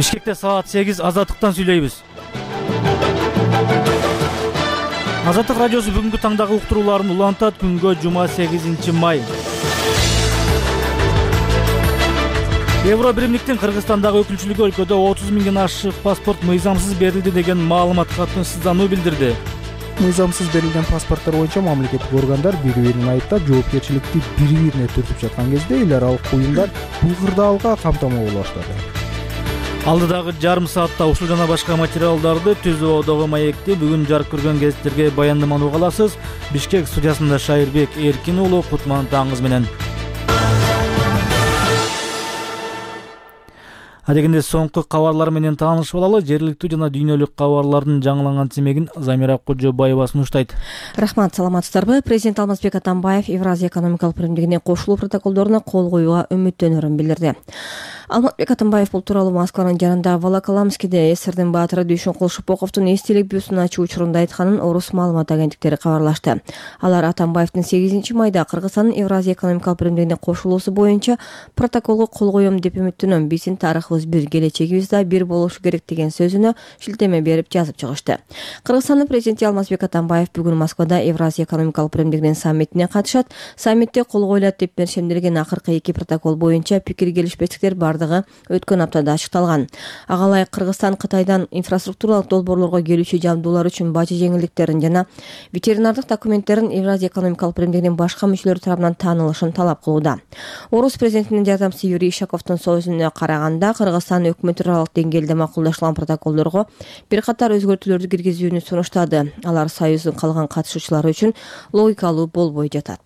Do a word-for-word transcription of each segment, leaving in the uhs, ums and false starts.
Бишкекте саат сегиз Азаттыктан сүйлөйбүз. Азаттык радиосу бүгүнкү таңдагы уктурууларын улантат. Күнгө жума сегизинчи май. Евро биримдиктин Кыргызстандагы өкүлчүлүгү өлкөдө отуз миңден ашык паспорт мыйзамсыз берилди деген маалымат катмыксыздануу билдирди. Мыйзамсыз берилген паспорттор боюнча мамлекеттик органдар бири-бирин айыптап, жоопкерчиликти бири-бирине түртүп жаткан кезде эл аралык уюмдар бул кырдаалга камтамоо боло баштады. Алдыдагы жарым саатта ушул жана башка материалдарды Түз Оодогу маекти бүгүн жарык көргөн гезиттерге баяндаманы уга аласыз. Бишкек студиясында Шайырбек Эркин уулу, кутман таңыңыз менен. Адегенде соңку кабарлар менен таанышып алалы. Жергиликтүү жана дүйнөлүк кабарлардын жаңыланган тизмегин Замира Кожобаева сунуштайт. Рахмат, саламатсыздарбы? Президент Алмазбек Атамбаев Евразия экономикалык биримдигине кошулуу протоколдоруна кол коюуга үмүттөнөрүн билдирди. Алмазбек Атамбаев бул тууралуу Москванын жанында Волоколамскиде СССРдин баатыры Дүйшөнкул Шопоковдун эстелик бюстун ачуу учурунда айтканын орус маалымат агенттиктери кабарлашты. Алар Атамбаевдин сегизинчи майда Кыргызстандын Евразия экономикалык биримдигине кошулуусу боюнча протоколго кол коем деп үмүттөнөм. Биздин тарыхыбыз бир, келечегибиз да бир болушу керек деген сөзүнө шилтеме берип жазып чыгышты. Кыргызстандын президенти Алмазбек Атамбаев бүгүн Москвада Евразия экономикалык биримдигинин саммитине катышат. Саммитте кол коюлат деп беришемдирген акыркы эки протокол боюнча пикир келишпестиктер бардыгы өткөн аптада ачыкталган. Ага ылайык Кыргызстан Кытайдан инфраструктуралык долбоорлорго келүүчү жабдуулар үчүн бажы жеңилдиктерин жана ветеринардык документтерин Евразия экономикалык биримдигинин башка мүчөлөрү тарабынан таанылышын талап кылууда. Орус президентинин жардамчысы Юрий Ишаковдун сөзүнө караганда, Кыргызстан өкмөт аралык деңгээлде макулдашылган протоколдорго бир катар өзгөртүүлөрдү киргизүүнү сунуштады. Алар Союздун калган катышуучулары үчүн логикалуу болбой жатат.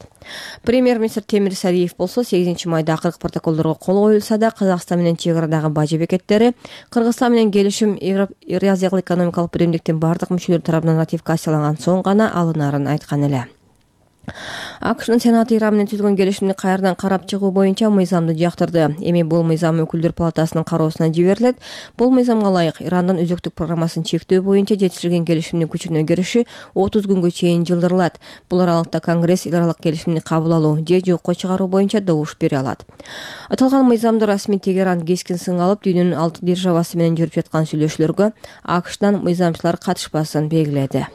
Премьер-министр Темир Сариев болсо сегизинчи майда акыркы протоколдорго кол коюлса да, Казакстан менен чек арадагы бажы бекеттери Кыргызстан менен келишим Евразиялык экономикалык биримдиктин бардык мүчөлөрү тарабынан ратификацияланган соң гана алынарын айткан эле. АКШнын Сенаты Иран менен түзүлгөн келишимди кайрадан карап чыгуу боюнча мыйзамды жактырды. Эми бул мыйзам өкүлдөр палатасынын кароосуна жиберилет. Бул мыйзамга ылайык Ирандын өзөктүк программасын чектөө боюнча жетишилген келишимдин күчүнө кириши отуз күнгө чейин жылдырылат. Бул аралыкта Конгресс эл аралык келишимди кабыл алуу же жокко чыгаруу боюнча добуш бере алат. Аталган мыйзамды расмий Тегеран кескин сынга алып, дүйнөнүн алты державасы менен жүрүп жаткан сүйлөшүүлөргө АКШдан мыйзамчылар катышпасын белгиледи.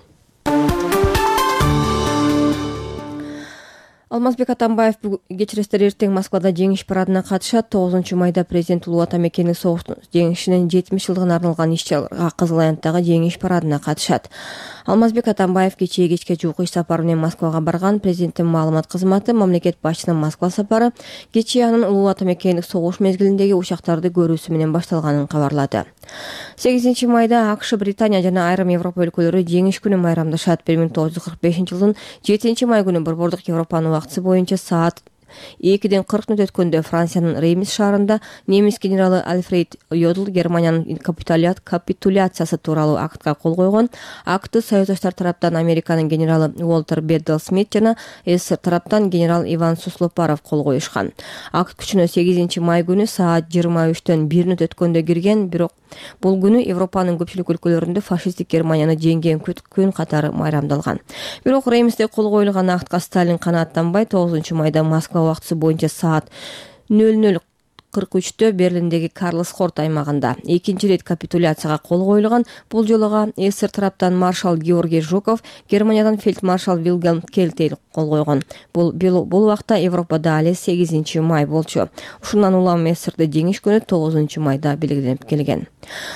Алмазбек Атамбаев кечиресиздер эртең Москвада жеңиш парадына катышат. тогузунчу майда президент Улуу Ата Мекендик согуштун жеңишинин жетимиш жылдыгына арналган иш-чарага Кызыл Аянттагы жеңиш парадына катышат. Алмазбек Атамбаев кечээ кечке жуук иш сапары менен Москвага барган. Президенттин маалымат кызматы мамлекет башчысынын Москва сапары кечээ анын Улуу Ата Мекендик согуш мезгилиндеги учактарды көрүүсү менен башталганын кабарлады. сегизинчи майда АКШ, Британия жана айрым Европа өлкөлөрү жеңиш күнүн майрамдашат. бир миң тогуз жүз кырк бешинчи жылдын жетинчи май күнү борбордук Европанын убактысы боюнча саат экиден кырк мүнөт өткөндө Франциянын Реймс шаарында немис генералы Альфред Йодл Германиянын капитуляциясы тууралуу актка кол койгон. Акты союздаштар тараптан Американын генералы Уолтер Беддел Смит жана СССР тараптан генерал Иван Суслопаров кол коюшкан. Акт күчүнө сегизинчи май күнү саат жыйырма үчтөн бир мүнөт өткөндө кирген, бирок бул күнү Европанын көпчүлүк өлкөлөрүндө фашисттик Германияны жеңген күн катары майрамдалган. Бирок Реймсте кол коюлган актка Сталин канааттанбай, тогузунчу майда Москва убактысы боюнча саат нөл нөл кырк үчтө Берлиндеги Карлс Хорт аймагында экинчи ирет капитуляцияга кол коюлган. Бул жолуга СССР тараптан маршал Георгий Жуков, Германиядан фельдмаршал Вильгельм Кельтель кол койгон. Бул бул убакта Европада але сегизинчи май болчу. Ушундан улам СССРде жеңиш күнү тогузунчу майда белгиленип келген.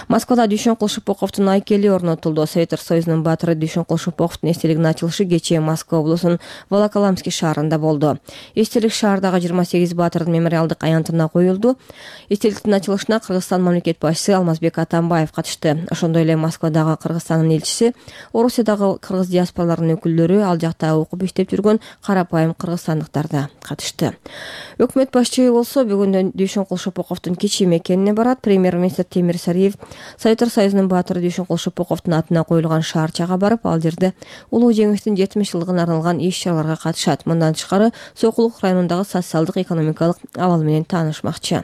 Москвада Дүйшөнкул Шопоковдун айкели орнотулду. Советтер Союзунун баатыры Дүйшөнкул Шопоковдун эстелигинин ачылышы кечээ Москва облусунун Волоколамский шаарында болду. Эстелик шаардагы жыйырма сегиз баатырдын мемориалдык аянтына коюлду. Эстеликтин ачылышына Кыргызстан мамлекет башчысы Алмазбек Атамбаев катышты. Ошондой эле Москвадагы Кыргызстандын элчиси, Орусиядагы кыргыз диаспораларынын өкүлдөрү, ал жакта окуп иштеп жүргөн карапайым кыргызстандыктар да катышты. Өкмөт башчысы болсо бүгүн Дүйшөнкул Шопоковдун кичи мекенине барат. Премьер-министр Темир Сариев Советтер Союзунун баатыры Дүйшөнкул Шопоковдун атына коюлган шаарчага барып, ал жерде улуу жеңиштин жетимиш жылдыгына арналган иш-чараларга катышат. Мындан тышкары Сокулук районундагы социалдык экономикалык абал менен таанышмакчы.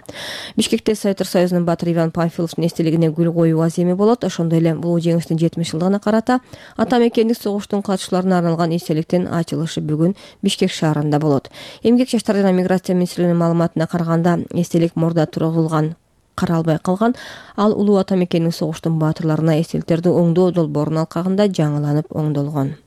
Бишкекте Советтер Союзунун баатыры Иван Панфиловдун эстелигине гүл коюу аземи болот. Ошондой эле улуу жеңиштин жетимиш жылдыгына карата Ата Мекендик согуштун катышууларына арналган эстеликтин ачылышы бүгүн Бишкек шаарында болот. Эмгек жаштар жана миграция министрлигинин маалыматына караганда, эстелик мурда тургузулган каралбай калган. Ал улуу ата мекенин согуштун баатырларына эстеликтерди оңдоо долбоорунун алкагында жаңыланып оңдолгон.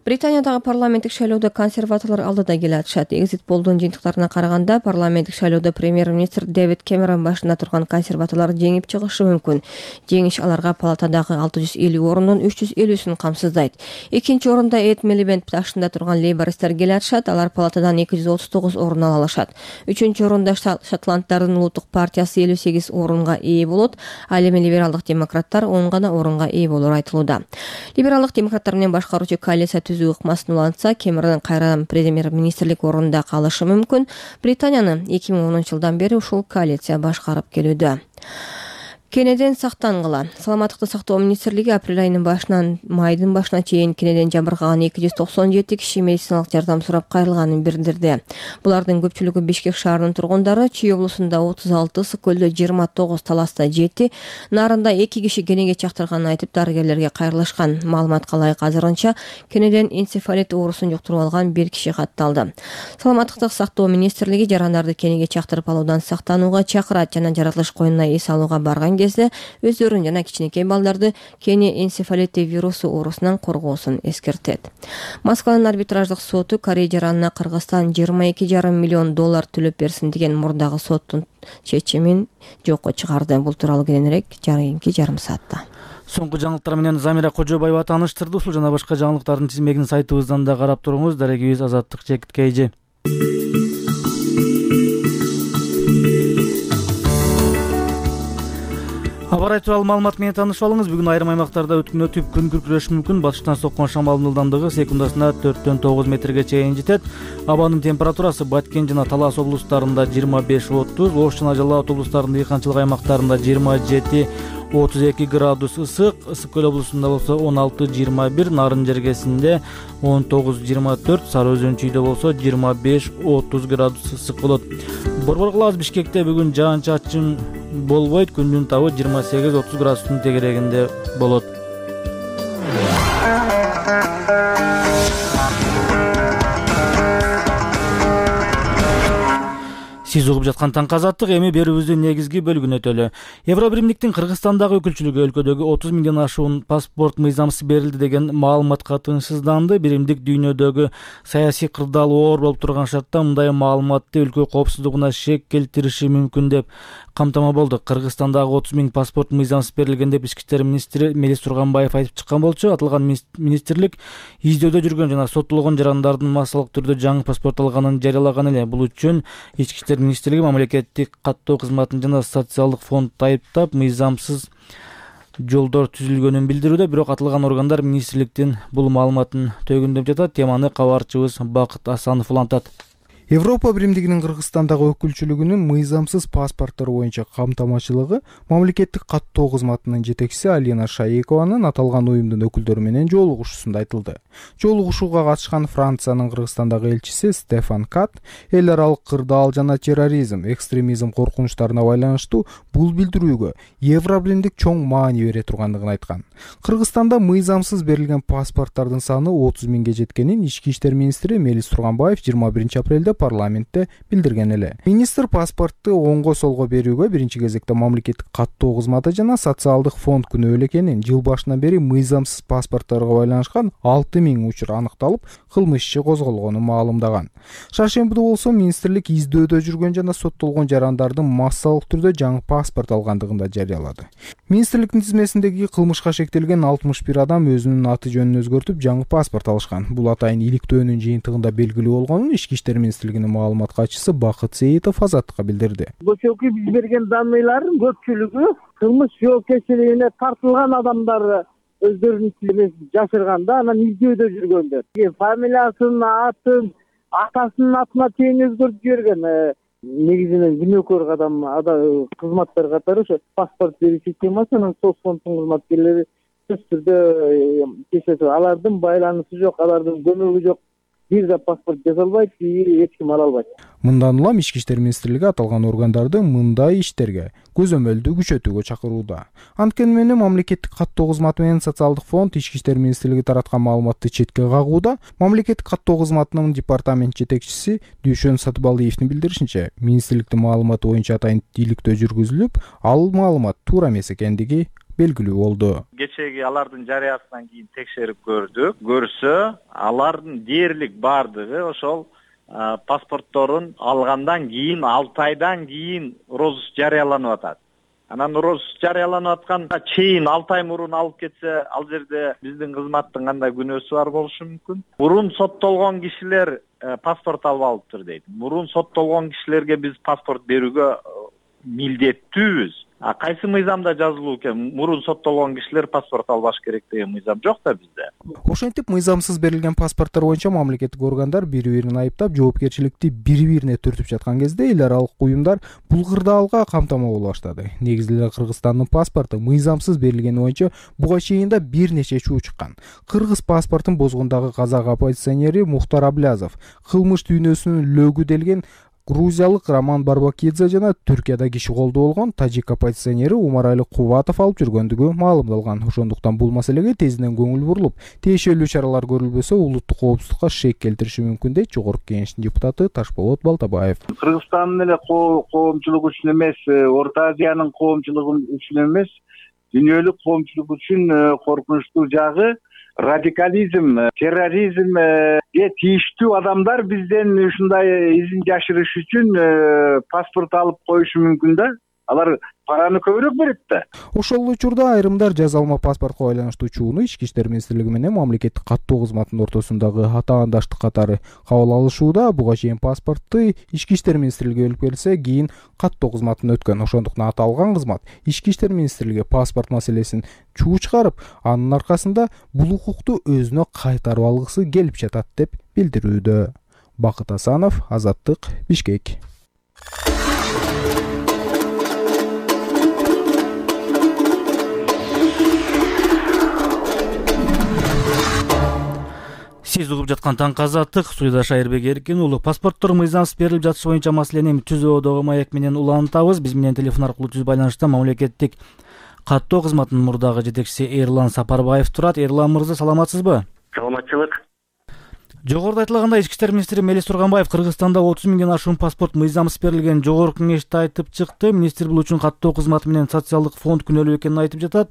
Британиядагы парламенттик шайлоодо консерваторлор алдыда келе атышат. Экзит полдун жыйынтыктарына караганда парламенттик шайлоодо премьер-министр Дэвид Кэмерон башында турган консерваторлор жеңип чыгышы мүмкүн. Жеңиш аларга палатадагы алты жүз элүү орунун үч жүз элүүсүн камсыздайт. Экинчи орунда Эд Милибенд башында турган лейбористтер келе атышат. Алар палатадан эки жүз отуз тогуз орун ала алышат. Үчүнчү орунда Шотланддардын улуттук партиясы элүү сегиз орунга ээ болот. Ал эми либералдык демократтар он гана орунга ээ болору айтылууда. Либералдык демократтар менен башкаруучу коалиция ыкмасын улантса, Кэмерон кайрадан премьер-министрлик орунда калышы мүмкүн. Британияны эки миң онунчу жылдан бери ушул коалиция башкарып келүүдө. Кенеден сактангыла. Саламаттыкты сактоо министрлиги апрель айынын башынан майдын башына чейин кенеден жабыркаган эки жүз токсон жети киши медициналык жардам сурап кайрылганын билдирди. Булардын көпчүлүгү Бишкек шаарынын тургундары. Чүй облусунда отуз алты, Ысык көлдө жыйырма тогуз, Таласта жети, Нарында эки киши кенеге чактырганын айтып дарыгерлерге кайрылышкан. Маалыматка ылайык азырынча кенеден энцефалит оорусун жуктуруп алган бир киши катталды. Саламаттыкты сактоо министрлиги жарандарды кенеге чактырып алуудан сактанууга чакырат жана жаратылыш коюнуна эс алууга барган кезде өздөрүн жана кичинекей балдарды кене энцефалити вирусу оорусунан коргоосун эскертет. Москванын арбитраждык соту Корея жаранына Кыргызстан жыйырма эки жарым миллион доллар төлөп берсин деген мурдагы соттун чечимин жокко чыгарды. Бул тууралуу кененирээк жарымки жарым саатта. Соңку жаңылыктар менен Замира Кожобаева тааныштырды. Ушул жана башка жаңылыктардын тизмегин сайтыбыздан да карап туруңуз. Дарегибиз Азаттык Жекиткейжи. Аба райы тууралуу маалымат менен таанышып алыңыз. Бүгүн айрым аймактарда өткүнөтүп күн күркүрөшү мүмкүн. Батыштан соккон шамалдын ылдамдыгы секундасына төрттөн тогуз метрге чейин жетет. Абанын температурасы Баткен жана Талас облустарында жыйырма беш отуз, Ош жана Жалал Абад облустарынын дыйканчылык аймактарында жыйырма жети отуз эки градус ысык, Ысык көл облусунда болсо он алты жыйырма бир, Нарын жергесинде он тогуз жыйырма төрт, Сары Өзөн чүйдө болсо жыйырма беш отуз градус ысык болот. Борбор кылабыз Бишкекте бүгүн жаан-чачын болбойт, күндүн табы жыйырма сегиз отуз градустун тегерегинде болот. Сиз угуп жаткан Таңкы Азаттык, эми берүүбүздүн негизги бөлүгүнө өтөлү. Евробиримдиктин Кыргызстандагы өкүлчүлүгү өлкөдөгү отуз миңден ашуун паспорт мыйзамсыз берилди деген маалыматка тынчсызданды. Биримдик дүйнөдөгү саясий кырдаал оор болуп турган шартта мындай маалыматты өлкө коопсуздугуна шек келтириши мүмкүн деп камтама болду. Кыргызстандагы отуз миң паспорт мыйзамсыз берилген деп ички иштер министри Мелис Турганбаев айтып чыккан болчу. Аталган министрлик издөөдө жүргөн жана соттолгон жарандардын массалык түрдө жаңы паспорт алганын жарыялаган эле. Бул үчүн ички иштер министрлиги мамлекеттик каттоо кызматын жана социалдык фондду айыптап, мыйзамсыз жолдор түзүлгөнүн билдирүүдө. Бирок аталган органдар министрликтин бул маалыматын төгүндөп жатат. Теманы кабарчыбыз Бакыт Асанов улантат. Европа биримдигинин Кыргызстандагы өкүлчүлүгүнүн мыйзамсыз паспорттор боюнча камтамачылыгы мамлекеттик каттоо кызматынын жетекчиси Алина Шаекованын аталган уюмдун өкүлдөрү менен жолугушуусунда айтылды. Жолугушууга катышкан Франциянын Кыргызстандагы элчиси Стефан Кат эл аралык кырдаал жана терроризм, экстремизм коркунучтарына байланыштуу бул билдирүүгө Евробиримдик чоң маани бере тургандыгын айткан. Кыргызстанда мыйзамсыз берилген паспорттардын саны отуз миңге жеткенин ички иштер министри Мелис Турганбаев жыйырма биринчи апрелде парламентте билдирген эле. Министр паспортту оңго солго берүүгө биринчи кезекте мамлекеттик каттоо кызматы жана социалдык фонд күнөөлүү экенин, жыл башынан бери мыйзамсыз паспортторго байланышкан алты миң учур аныкталып, кылмыш иши козголгонун маалымдаган. Шаршембиде болсо министрлик издөөдө жүргөн жана соттолгон жарандардын массалык түрдө жаңы паспорт алгандыгын да жарыялады. Министрликтин тизмесиндеги кылмышка шектелген алтымыш бир адам өзүнүн аты жөнүн өзгөртүп жаңы паспорт алышкан. Бул атайын иликтөөнүн жыйынтыгында белгилүү болгонун ички иштер министрлигинин маалымат катчысы Бакыт Сейитов Азаттыкка билдирди. Көчөкү биз берген данныйлардын көпчүлүгү кылмыш жоопкерчилигине тартылган адамдар өздөрүнүн тизмесин жашырганда, анан издөөдө жүргөндөр. Фамилиясын, атын, атасынын атына чейин өзгөртүп жиберген. Негизинен күнөөкөр адам кызматтар катары ошо паспорт берүү системасынын соцфонддун кызматкерлери сөзсүз түрдө кечет. Алардын байланышы жок, алардын көмөгү жок. бир да паспорт жасалбайт, эч ким ала албайт. Мындан улам Ички иштер министрлиги аталган органдарды мындай иштерге көзөмөлдү күчөтүүгө чакырууда. Анткени менен мамлекеттик каттоо кызматы менен социалдык фонд Ички иштер министрлиги тараткан маалыматты четке кагууда. Мамлекеттик каттоо кызматынын департамент жетекчиси Дүйшөн Сатыбалдиевдин билдиришинче, министрликтин маалыматы боюнча атайын иликтөө жүргүзүлүп, ал маалымат туура эмес экендиги белгилүү болду. Кечеги алардын жарыясынан кийин текшерип көрдүк. Көрсө, алардын дээрлик бардыгы ошол паспортторун алгандан кийин алты айдан кийин розыск жарыяланып атат. Анан розыск жарыяланып атканда чейин алты ай мурун алып кетсе, ал жерде биздин кызматтын кандай күнөөсү бар болушу мүмкүн. Мурун соттолгон кишилер паспорт алып алыптыр дейт. Мурун соттолгон кишилерге биз паспорт берүүгө милдеттүүбүз. А кайсы мыйзамда жазылуу экен? Мурун соттолгон кишилер паспорт албаш керек деген мыйзам жок да бизде. Ошентип мыйзамсыз берилген паспорттор боюнча мамлекеттик органдар бири-бирин айыптап, жоопкерчиликти бири-бирине түртүп жаткан кезде эл аралык уюмдар бул кырдаалга камтама боло баштады. Негизи эле Кыргызстандын паспорту мыйзамсыз берилгени боюнча буга чейин да бир нече чуу чыккан. Кыргыз паспортун бозгондагы казак оппозиционери Мухтар Аблязов, кылмыш дүйнөсүнүн лөгү делген грузиялык Роман Барбакидзе жана Түркияда киши колдоо болгон тажик оппозиционери Умарали Кубатов алып жүргөндүгү маалымдалган. Ошондуктан бул маселеге тезинен көңүл бурулуп, тиешелүү чаралар көрүлбөсө улуттук коопсуздукка шек келтириши мүмкүн дейт Жогорку Кеңештин депутаты Ташболот Балтабаев. Кыргызстандын эле коомчулугу үчүн эмес, Орто Азиянын коомчулугу үчүн эмес, дүйнөлүк коомчулук үчүн коркунучтуу жагы радикализм, терроризмге тийиштүү адамдар бизден ушундай изин жашырыш үчүн паспорт алып коюшу мүмкүн да. Алар параны көбүрөөк берет да. Ошол учурда айрымдар жазалма паспортко байланыштуу чууну Ички иштер министрлиги менен мамлекеттик каттоо кызматынын ортосундагы атаандаштык катары кабыл алышууда. Буга чейин паспортты Ички иштер министрлиги өлүп келсе, кийин каттоо кызматына өткөн. Ошондуктан аталган кызмат Ички иштер министрлиги паспорт маселесин чуу чыгарып, анын аркасында бул укукту өзүнө кайтарып алгысы келип жатат деп билдирүүдө. Бакыт Асанов, Азаттык, Бишкек. Сиз угуп жаткан Таңкы Азаттык, студияда Шайырбек Эркин уулу. Паспорттор мыйзамсыз берилип жатышы боюнча маселени түз ободогу маек менен улантабыз. Биз менен телефон аркылуу түз байланышта мамлекеттик каттоо кызматынын мурдагы жетекчиси Эрлан Сапарбаев турат. Эрлан мырза, саламатсызбы? Саламатчылык. Жогоруда айтылгандай, Ички иштер министри Мелис Турганбаев Кыргызстанда отуз миңден ашуун паспорт мыйзамсыз берилген Жогорку Кеңеште айтып чыкты. Министр бул үчүн каттоо кызматы менен социалдык фонд күнөөлүү экенин айтып жатат.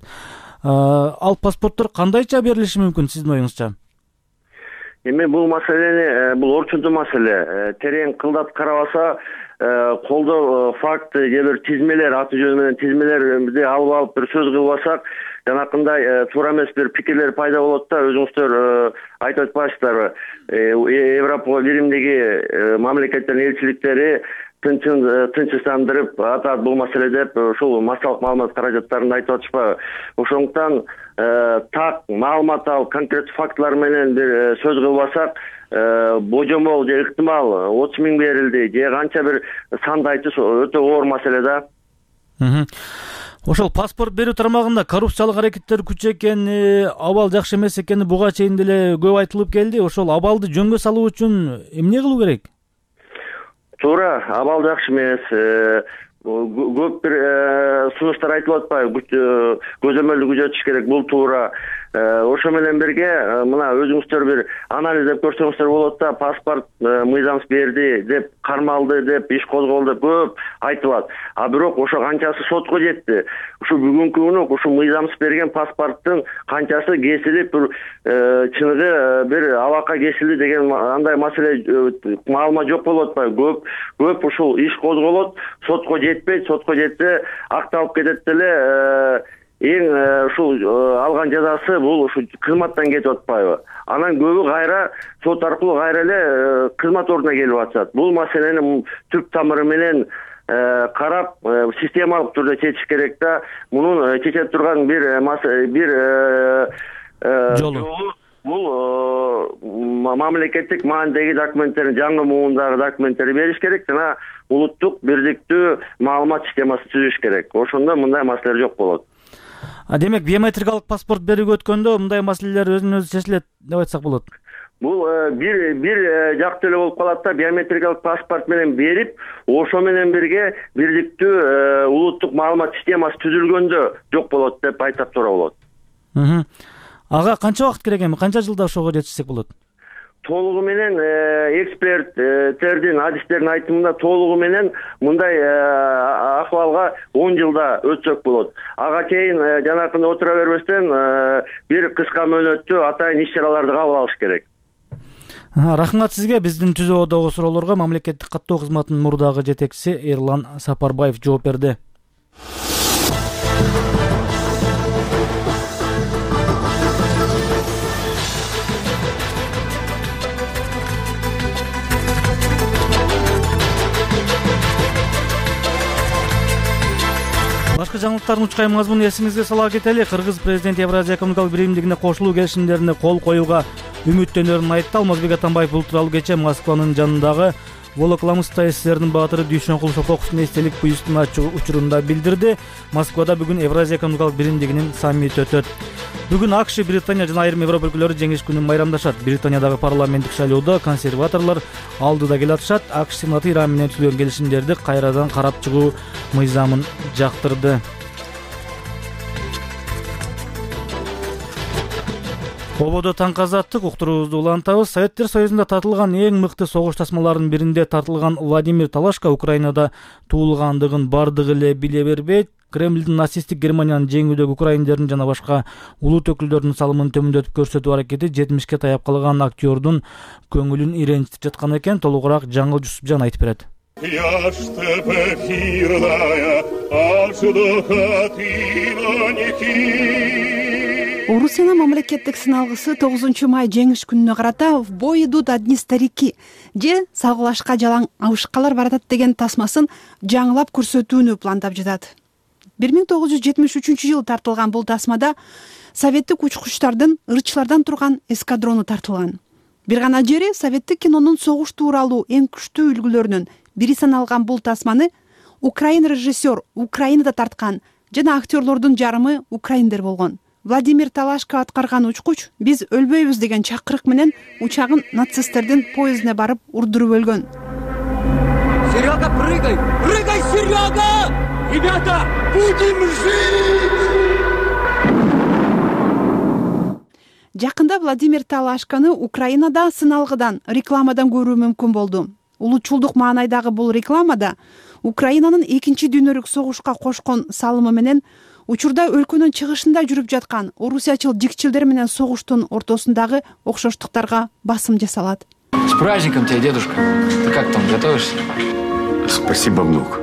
Ал паспорттор кандайча берилиши мүмкүн сиздин оюңузча? Эми бул маселени, бул орчундуу маселе. Терең кылдап карабаса, колдоо факты же бир тизмелер, аты жөнү менен тизмелерди алып алып бир сөз кылбасак, жанакындай туура эмес бир пикирлер пайда болот да. Өзүңүздөр айтып атпайсыздарбы? Европа Биримдиги мамлекеттердин элчиликтери тынчсыздандырып атат бул маселе деп, ушул массалык маалымат каражаттарында айтып атышпайбы? Ошондуктан так маалымат алып, конкреттүү фактылар менен бир сөз кылбасак, божомол же ыктымал отуз миң берилди же канча бир санды айтыш өтө оор маселе да. Ошол паспорт берүү тармагында коррупциялык аракеттер күч экени, абал жакшы эмес экени буга чейин деле көп айтылып келди. Ошол абалды жөнгө салуу үчүн эмне кылуу керек? Туура, абал жакшы эмес. Көп бир сунуштар айтылып атпайбы? Көзөмөлдү күчөтүш керек, бул туура. Ошо менен бирге мына өзүңүздөр бир анализдеп көрсөңүздөр болот да. Паспорт мыйзамсыз берди деп, кармалды деп, иш козголду деп көп айтылат. А бирок ошо канчасы сотко жетти? Ушу бүгүнкү күнү ушу мыйзамсыз берген паспорттун канчасы кесилип, чыныгы бир абакка кесилди деген андай маселе маалымат жок болуп атпайбы? Көп көп ушул иш козголот, сотко жетпейт, сотко жетсе акталып кетет деле. Эң ушул алган жазасы бул ушу кызматтан кетип атпайбы? Анан көбү кайра сот аркылуу кайра эле кызмат ордуна келип атышат. Бул маселени түп тамыры менен карап, системалык түрдө чечиш керек да. Мунун чече турган бир бир жолу бул мамлекеттик маанидеги документтерин, жаңы муундагы документтерди бериш керек жана улуттук бирдиктүү маалымат системасын түзүш керек. Ошондо мындай маселелер жок болот. А демек биометрикалык паспорт берүүгө өткөндө мындай маселелер өзүнөн өзү чечилет деп айтсак болот. Бул бир бир жактуу эле болуп калат да, биометрикалык паспорт менен берип, ошо менен бирге бирликтүү улуттук маалымат системасы түзүлгөндө жок болот деп айтсак туура болот. Ага канча убакыт керек эми, канча жылда ошого жетишсек болот? Толугу менен эксперттердин, адистердин айтымында толугу менен мындай акыбалга он жылда өтсөк болот. Ага чейин жанакында отура бербестен бир кыска мөөнөттүү атайын иш-чараларды кабыл алыш керек. Рахмат сизге. Биздин түзөөдөгү суроолорго мамлекеттик каттоо кызматынын мурдагы жетекчиси Эрлан Сапарбаев жооп берди. Башкы жаңылыктардын учкай мазмунун эсиңизге сала кетели. Кыргыз президенти Евразия экономикалык биримдигине кошулуу келишимдерине кол коюуга үмүттөнөрүн айтты. Алмазбек Атамбаев бул тууралуу кече Москванын жанындагы Волоколамская ССРдин баатыры Дүйшөнкул Шоқоковдун эстелик бюстун ачуу учурунда билдирди. Москвада бүгүн Евразия экономикалык биримдигинин саммити өтөт. Бүгүн АКШ, Британия жана айрым Европа өлкөлөрү жеңиш күнүн майрамдашат. Британиядагы парламенттик шайлоодо консерваторлор алдыда келатышат. АКШ Сенаты Иран менен түзүлгөн келишимдерди кайрадан карап чыгуу мыйзамын жактырды. Ободо таңкы азаттык уктуруубузду улантабыз. Советтер Союзунда тартылган эң мыкты согуш тасмаларынын биринде тартылган Владимир Талашка Украинада туулгандыгын бардыгы эле биле бербейт. Кремлдин нацисттик Германиянын жеңүүдөгү украиндердин жана башка улут өкүлдөрүнүн салымын төмөндөтүп көрсөтүү аракети жетимишке таяп калган актёрдун көңүлүн иренчитип жаткан экен. Толугураак Жаңыл Жусупжан айтып берет. Орусиянын мамлекеттик сыналгысы тогузунчу май жеңиш күнүнө карата «В бой идут одни старики» же «Салгылашка жалаң абышкалар баратат» деген тасмасын жаңылап көрсөтүүнү пландап жатат. бир миң тогуз жүз жетимиш үчүнчү жылы тартылган бул тасмада советтик учкучтардын ырчылардан турган эскадрону тартылган. Бир гана жери советтик кинонун согуш тууралуу эң күчтүү үлгүлөрүнүн бири саналган бул тасманы украин режиссер Украинада тарткан жана актерлордун жарымы украиндер болгон. Владимир Талашка аткарган учкуч «Биз өлбөйбүз» деген чакырык менен учагын нацисттердин поездине барып урдуруп өлгөн. Серега, прыгай! Прыгай, Серега! Ребята, будем жить! Жакында Владимир Талашканы Украинада сыналгыдан, рекламадан көрүү мүмкүн болду. Улутчулдук маанайдагы бул рекламада Украинанын экинчи дүйнөлүк согушка кошкон салымы менен учурда өлкөнүн чыгышында жүрүп жаткан орусиячыл жикчилдер менен согуштун ортосундагы окшоштуктарга басым жасалат. С праздником тебя, дедушка. Ты как там, готовишься? Спасибо, внук.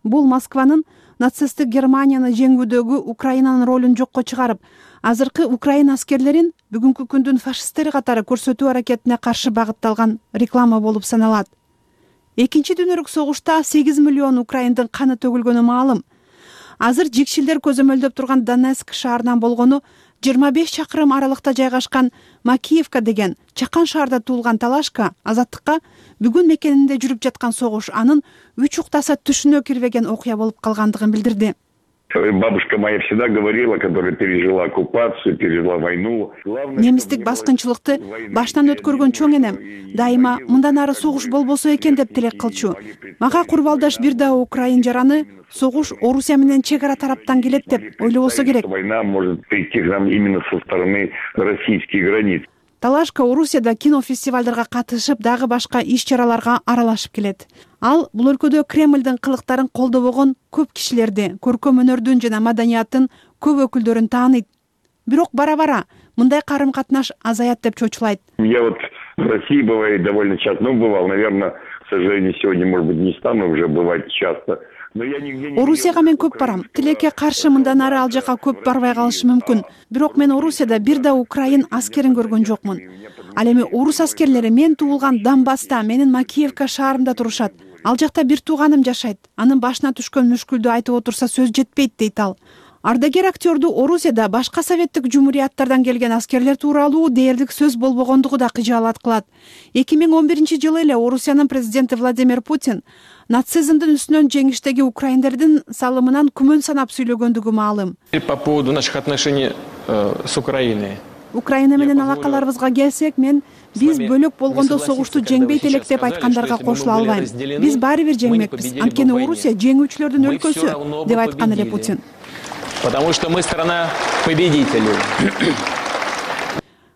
Бул Москванын нацисттик Германияны жеңүүдөгү Украинанын ролун жокко чыгарып, азыркы Украина аскерлерин бүгүнкү күндүн фашисттери катары көрсөтүү аракетине каршы багытталган реклама болуп саналат. Экинчи дүйнөлүк согушта сегиз миллион украиндин каны төгүлгөнү маалым. Азыр жикшилдер көзөмөлдөп турган Донецк шаарынан болгону жыйырма беш чакырым аралыкта жайгашкан Макиевка деген чакан шаарда туулган Талашка азаттыкка бүгүн мекенинде жүрүп жаткан согуш анын үч уктаса түшүнө кирбеген окуя болуп калгандыгын билдирди. Бабушка моя всегда говорила, которая пережила оккупацию, пережила войну. Немистик баскынчылыкты баштан өткөргөн чоң энем дайыма мындан ары согуш болбосо экен деп тилек кылчу. Мага курбалдаш бир да украин жараны согуш Орусия менен чек ара тараптан келет деп ойлобосо керек. Война может прийти к нам именно со стороны российских границ. Талашка Орусияда кинофестивалдарга катышып, дагы башка иш-чараларга аралашып келет. Ал бул өлкөдө Кремлдин кылыктарын колдобогон көп кишилерди, көркөм өнөрдүн жана маданияттын көп өкүлдөрүн тааныйт. Бирок бара-бара мындай карым-катнаш азаят деп чочулайт. Я вот в России бывает довольно часто, ну бывал, наверное, к сожалению, сегодня, может быть, не стану уже бывать часто. Орусияга мен көп барам. Тилекке каршы мындан ары ал жака көп барбай калышым мүмкүн. Бирок мен Орусияда бир да украин аскерин көргөн жокмун. Ал эми орус аскерлери мен туулган Донбасста, менин Макиевка шаарымда турушат. Ал жакта бир тууганым жашайт. Анын башына түшкөн мүшкүлдү айтып отурса сөз жетпейт дейт ал. Ардагер актёрду Орусияда башка советтик жумурияттардан келген аскерлер тууралуу дээрлик сөз болбогондугу да кыжаалат кылат. эки миң он биринчи жылы эле Орусиянын президенти Владимир Путин нацизмдин үстүнөн жеңиштеги украиндердин салымынан күмөн санап сүйлөгөндүгү маалым. По поводу наших отношений с Украиной. Украина менен алакаларыбызга келсек, мен биз бөлөк болгондо согушту жеңбейт элек деп айткандарга кошула албайм. Биз баары бир жеңмекпиз. Анткени Орусия жеңүүчүлөрдүн өлкөсү деп айткан эле Путин. Потому что мы страна победителей.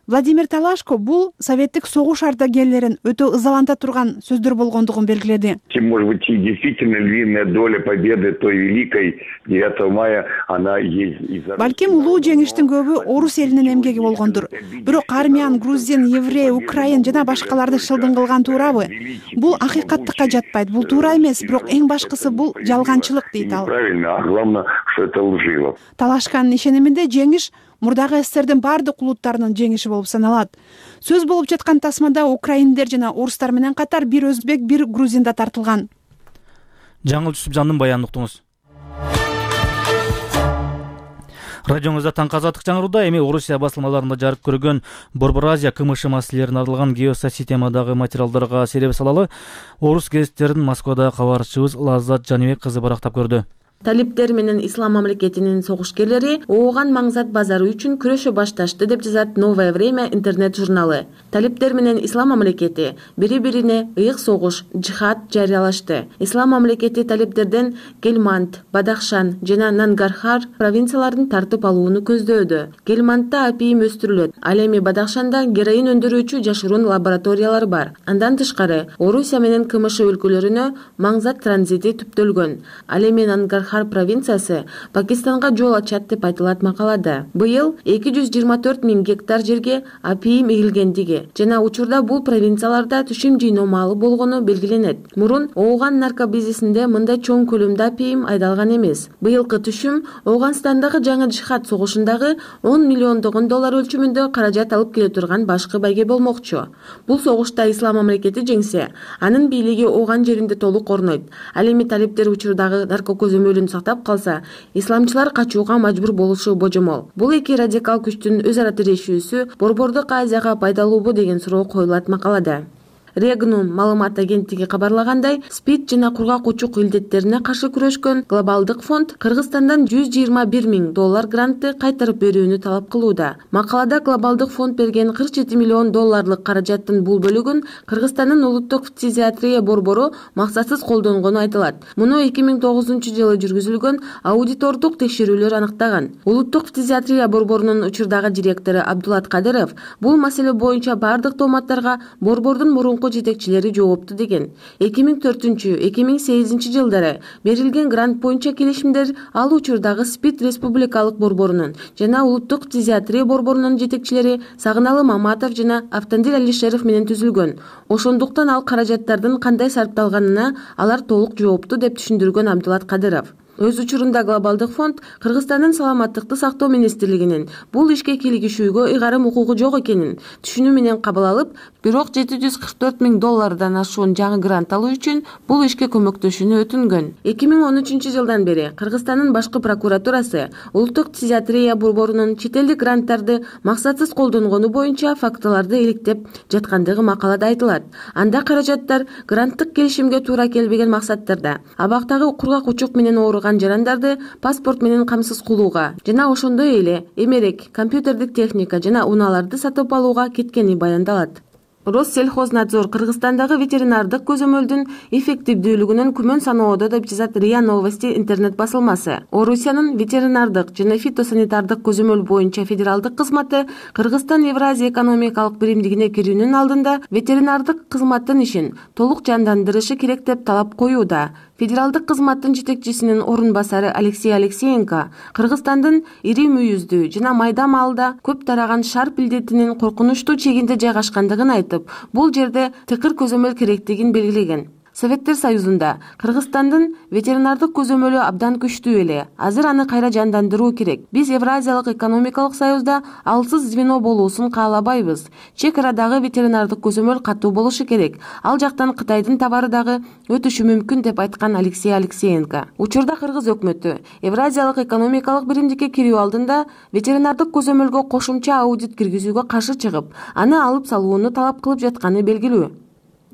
Владимир Талашко бул советтик согуш ардагерлерин өтө ызаланта турган сөздөр болгондугун белгиледи. Может быть, действительно львиная доля победы той великой девятого мая, она есть. Балким улуу жеңиштин көбү орус элинин эмгеги болгондур. Бирок армян, грузин, еврей, украин жана башкаларды шылдың кылган туурабы? Бул акыйкаттыкка жатпайт. Бул туура эмес, бирок эң башкысы бул жалганчылык дейт ал. Правильно, а главное, что это лживо. Талашканын ишениминде жеңиш мурдагы СССРдин баардык улуттарынын жеңиши болуп саналат. Сөз болуп жаткан тасмада украиндер жана орустар менен катар бир өзбек, бир грузин да тартылган. Жаңыл Жүсүпжандын баянын уктуңуз. Радионузда таңкы азаттык жаңырууда эми Орусия басылмаларында жарык көргөн Борбор Азия КМШ маселелерине арналган геосистемадагы материалдарга сереп салалы орус гезиттерин Москвада кабарчыбыз Лаззат Жаныбек кызы барактап көрдү. Талиптер менен ислам мамлекетинин согушкерлери ооган маңзат базары үчүн күрөшө башташты деп жазат Новое время интернет журналы. Талиптер менен ислам мамлекети бири-бирине ыйык согуш, жихад жарыялашты. Ислам мамлекети талиптерден Гельманд, Бадахшан жана Нангархар провинцияларын тартып алууну көздөөдө. Гельмандда апийим өстүрүлөт, ал эми Бадахшанда героин өндүрүүчү жашыруун лабораториялар бар. Андан тышкары Орусия менен КМШ өлкөлөрүнө маңзат транзити түптөлгөн. Ал эми Нангархар провинциясы Пакистанга жол ачат деп айтылат макалада. Быйыл эки жүз жыйырма төрт миң гектар жерге апийим эгилгендиги жана учурда бул провинцияларда түшүм жыйноо маалы болгону белгиленет. Мурун ооган наркобизнесинде мындай чоң көлөмдө апийим айдалган эмес. Быйылкы түшүм Ооганстандагы жаңы жихад согушундагы он миллиондогон доллар өлчөмүндө каражат алып келе турган башкы байге болмокчу. Бул согушта ислам мамлекети жеңсе, анын бийлиги Ооган жеринде толук орнойт. Ал эми талиптер учурдагы наркокөзөмөлүн сактап калса, исламчылар качууга мажбур болушу божомол. Бул эки радикал күчтүн өз ара тирешүүсү Борбордук Азияга пайдалуубу деген суроо коюлат макалада. Регнум маалымат агенттиги кабарлагандай, СПИД жана кургак учук илдеттерине каршы күрөшкөн глобалдык фонд Кыргызстандан жүз жыйырма бир миң доллар грантты кайтарып берүүнү талап кылууда. Макалада глобалдык фонд берген кырк жети миллион долларлык каражаттын бул бөлүгүн Кыргызстандын улуттук фтизиатрия борбору максатсыз колдонгону айтылат. Муну эки миң тогузунчу жылы жүргүзүлгөн аудитордук текшерүүлөр аныктаган. Улуттук фтизиатрия борборунун учурдагы директору Абдулат Кадыров бул маселе боюнча бардык тооматтарга борбордун мурунку жетекчилери жоопту деген. эки миң төртүнчү эки миң сегизинчи жылдары берилген грант боюнча келишимдер ал учурдагы СПИД республикалык борборунун жана улуттук фтизиатрия борборунун жетекчилери Сагыналы Маматов жана Автандил Алишеров менен түзүлгөн. Ошондуктан ал каражаттардын кандай сарпталганына алар толук жоопту деп түшүндүргөн Абдулат Кадыров. Өз учурунда глобалдык фонд Кыргызстандын саламаттыкты сактоо министрлигинин бул ишке кийлигишүүгө ыйгарым укугу жок экенин түшүнүү менен кабыл алып, бирок жети жүз кырк төрт миң доллардан ашуун жаңы грант алуу үчүн бул ишке көмөктөшүүнү өтүнгөн. эки миң он үчүнчү жылдан бери Кыргызстандын башкы прокуратурасы улуттук фтизиатрия борборунун чет элдик гранттарды максатсыз колдонгону боюнча фактыларды иликтеп жаткандыгы макалада айтылат. Анда каражаттар гранттык келишимге туура келбеген максаттарда абактагы кургак учук менен ооруган жарандарды паспорт менен камсыз кылууга жана ошондой эле эмерек, компьютердик техника жана унааларды сатып алууга кеткени баяндалат. Россельхознадзор Кыргызстандагы ветеринардык көзөмөлдүн эффективдүүлүгүнөн күмөн саноодо деп жазат РИА Новости интернет басылмасы. Орусиянын ветеринардык жана фитосанитардык көзөмөл боюнча федералдык кызматы Кыргызстан Евразия экономикалык биримдигине кирүүнүн алдында ветеринардык кызматтын ишин толук жандандырышы керек деп талап коюуда. Федералдык кызматтын жетекчисинин орун басары Алексей Алексеенко Кыргызстандын ири мүйүздүү жана майда малда көп тараган шарп илдетинин коркунучтуу чегинде жайгашкандыгын айтып, бул жерде тыкыр көзөмөл керектигин белгилеген. Советтер Союзунда Кыргызстандын ветеринардык көзөмөлү абдан күчтүү эле. Азыр аны кайра жандандыруу керек. Биз Евразиялык экономикалык союзда алсыз звено болуусун каалабайбыз. Чек арадагы ветеринардык көзөмөл катуу болушу керек. Ал жактан Кытайдын товары дагы өтүшү мүмкүн деп айткан Алексей Алексеенко. Учурда Кыргыз өкмөтү Евразиялык экономикалык биримдикке кирүү алдында ветеринардык көзөмөлгө кошумча аудит киргизүүгө каршы чыгып, аны алып салууну талап кылып жатканы белгилүү.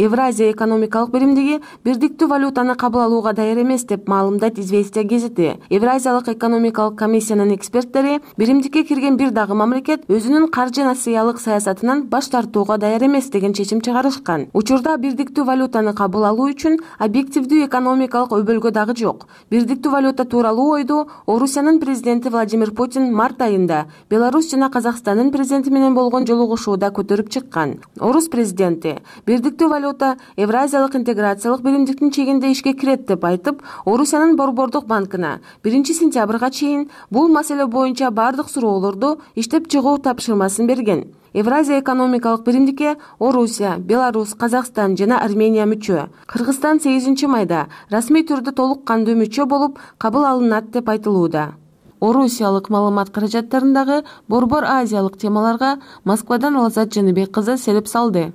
Евразия экономикалык биримдиги бирдиктүү валютаны кабыл алууга даяр эмес деп маалымдайт Известия гезити. Евразиялык экономикалык комиссиянын эксперттери биримдикке кирген бир дагы мамлекет өзүнүн каржы насыялык саясатынан баш тартууга даяр эмес деген чечим чыгарышкан. Учурда бирдиктүү валютаны кабыл алуу үчүн объективдүү экономикалык өбөлгө дагы жок. Бирдиктүү валюта тууралуу ойду Орусиянын президенти Владимир Путин март айында Беларусь жана Казакстандын президенти менен болгон жолугушууда көтөрүп чыккан. Орус президенти бирдиктүү валюта Евразиялык интеграциялык биримдиктин чегинде ишке кирет деп айтып, Орусиянын Борбордук банкына биринчи сентябрга чейин бул маселе боюнча бардык суроолорду иштеп чыгуу тапшырмасын берген. Евразия экономикалык биримдикке Орусия, Беларусь, Казакстан жана Армения мүчө. Кыргызстан сегизинчи майда расмий түрдө толук кандуу мүчө болуп кабыл алынат деп айтылууда. Орусиялык маалымат каражаттарындагы борбор азиялык темаларга Москвадан Алазат Жаныбек кызы селеп салды.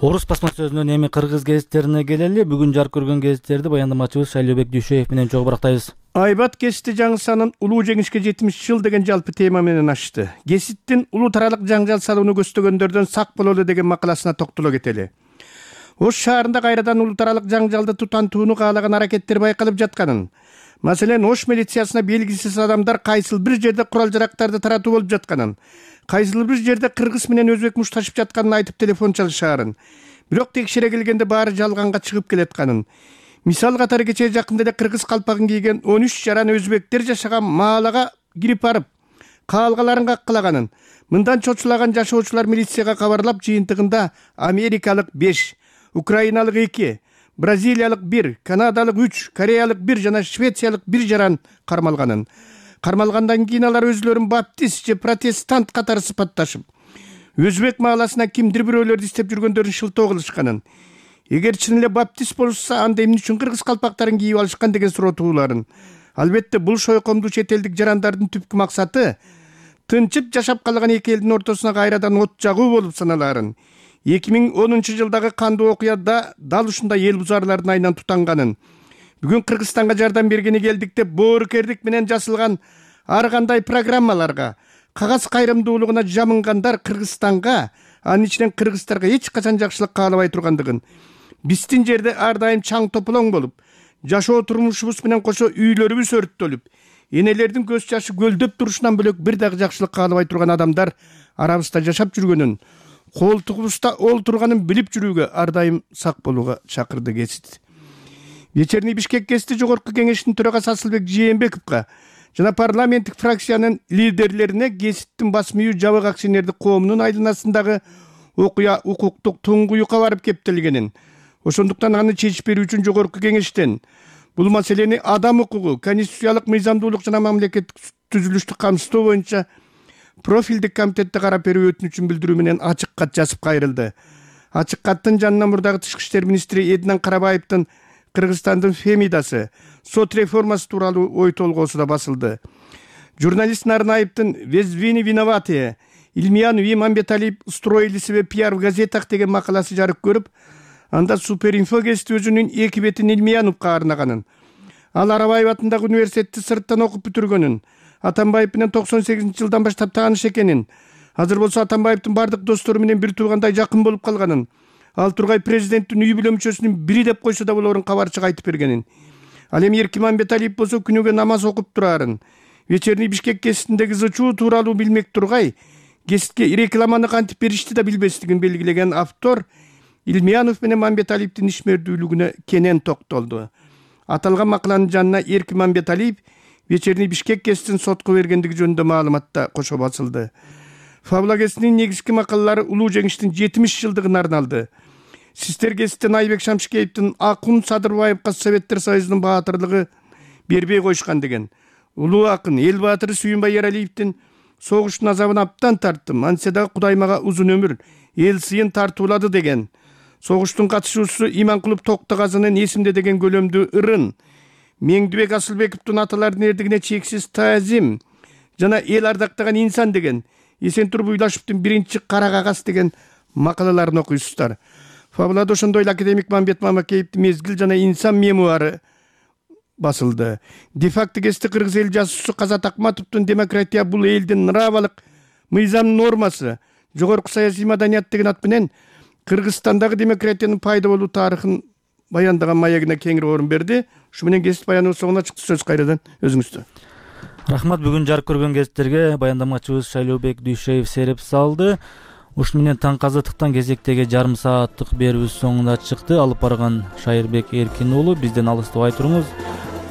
Орус басма сөзүнөн эми кыргыз гезиттерине келели. Бүгүн жарык көргөн гезиттерди баяндамачыбыз Шайлообек Дүйшөев менен чогуу барактайбыз. Айбат гезити жаңы санын улуу жеңишке жетимиш жыл деген жалпы тема менен ачты. Гезиттин улуу таралык жаңжал салууну көздөгөндөрдөн сак бололу деген макаласына токтоло кетели. Ош шаарында кайрадан улуу таралык жаңжалды тутантууну каалаган аракеттер байкалып жатканын, маселен Ош милициясына белгисиз адамдар кайсыл бир жерде курал-жарактарды таратуу болуп жатканын, кайсыл бир жерде кыргыз менен өзбек мушташып жатканын айтып телефон чалышаарын, бирок текшере келгенде баары жалганга чыгып келатканын. Мисал катары кечээ жакында эле кыргыз калпагын кийген он үч жаран өзбектер жашаган маалага кирип барып, каалгаларын каккылаганын, мындан чочулаган жашоочулар милицияга кабарлап, жыйынтыгында америкалык беш, украиналык эки, бразилиялык бир, канадалык үч, кореялык бир жана швециялык бир жаран кармалганын. Кармалгандан кийин алар өзлөрүн баптист же протестант катары сыпатташып, өзбек мааласына кимдир бирөөлөрдү издеп жүргөндөрүн шылтоо кылышканын, эгер чын эле баптист болушса, анда эмне үчүн кыргыз калпактарын кийип алышкан деген суроо тууларын. Албетте бул шойкомдуу чет элдик жарандардын түпкү максаты тынчып жашап калган эки элдин ортосуна кайрадан от жагуу болуп саналаарын. эки миң онунчу жылдагы кандуу окуяда дал ушундай эл бузарлардын айынан тутанганын, бүгүн Кыргызстанга жардам бергени келдик деп боорукердик менен жасалган ар кандай программаларга, кагаз кайрымдуулугуна жамынгандар Кыргызстанга, анын ичинен кыргыздарга эч качан жакшылык каалабай тургандыгын, биздин жерде ар дайым чаң тополоң болуп, жашоо турмушубуз менен кошо үйлөрүбүз өрттөлүп, энелердин көз жашы көлдөп турушунан бөлөк бир дагы жакшылык каалабай турган адамдар арабызда жашап жүргөнүн, колтугубузда олтурганын билип жүрүүгө ар дайым сак болууга чакырды гезит. Вечерний Бишкек гезити жогорку кеңештин төрагасы Асылбек Жээнбековго жана парламенттик фракциянын лидерлерине гезиттин басма үйү жабык акционердик коомунун айланасындагы окуя укуктук туңгуюкка барып кептелгенин, ошондуктан аны чечип берүү үчүн жогорку кеңештен бул маселени адам укугу, конституциялык мыйзамдуулук жана мамлекеттик түзүлүштү камсыздоо боюнча профилдик комитетте карап берүү өтүнүчүн билдирүү менен ачык кат жазып кайрылды. Ачык каттын жанына мурдагы тышкы иштер министри Эднан Карабаевдин Кыргызстандын Фемидасы сот реформасы тууралуу ой толгоосу да басылды. Журналист Нарнаевдин «Везвини виноватые. Ильмиян и Мамбеталиев устроили себе пиар в газетах» деген макаласы жарык көрүп, анда Суперинфо гезити өзүнүн эки бетин Ильмияновго арнаганын, ал Арабаев атындагы университетти сырттан окуп бүтүргөнүн, Атамбаев менен токсон сегизинчи жылдан баштап тааныш экенин, азыр болсо Атамбаевдин бардык достору менен бир туугандай жакын болуп калганын, ал тургай президенттин үй бүлө мүчөсүнүн бири деп койсо да болорун кабарчык айтып бергенин. Ал эми Эркин Мамбеталиев болсо күнүгө намаз окуп турарын. Вечерний Бишкек гезитиндеги зычуу тууралуу билмек тургай, гезитке рекламаны кантип беришти да билбестигин белгилеген автор Ильмиянов менен Мамбеталиевдин ишмердүүлүгүнө кенен токтолду. Аталган макаланын жанына Эркин Мамбеталиев Вечерний Бишкек гезитин сотко бергендиги жөнүндө маалыматта кошо басылды. Фабула гезитинин негизги макалалары улуу жеңиштин жетимиш жылдыгына арналды. Сиздер гезиттен Айбек Шамшикеевдин Акун Садырбаевга Советтер Союзунун баатырлыгы бербей койушкан деген, улуу акын эл баатыры Сүйүнбай Эралиевдин согуштун азабын аптан тарттым, антсе дагы Кудай мага узун өмүр, эл сыйын тартуулады деген, согуштун катышуучусу Иманкулов Токтогазынын эсимде деген көлөмдүү ырын, Меңдибек Асылбековдун аталардын эрдигине чексиз таазим жана эл ардактаган инсан деген, Эсентур Буйлашевдин биринчи кара кагаз деген макалаларын окуйсуздар. Фабулада ошондой эле академик Мамбет Мамакеевдин Мезгил жана инсан мемуары басылды. Де-факто гезити кыргыз эл жазуучусу Казат Акматовдун демократия бул элдин нравалык мыйзам нормасы жогорку саясий маданият деген ат менен Кыргызстандагы демократиянын пайда болуу тарыхын баяндаган маегине кеңири орун берди. Ушу менен кесип баяныбыз соңуна чыкты. Сөз кайрадан өзүңүздө. Рахмат, бүгүн жарык көргөн кесиптерге баяндамачыбыз Шайлообек Дүйшеев сереп салды. Ушуну менен таңкы азаттыктан кезектеги жарым сааттык берүүбүз соңуна чыкты. Алып барган Шайырбек Эркин уулу, бизден алыстабай туруңуз.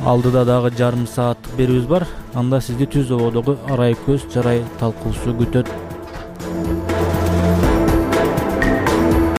Алдыда дагы жарым сааттык берүүбүз бар. Анда сизди түз ободогу арай көз жарай талкуусу күтөт.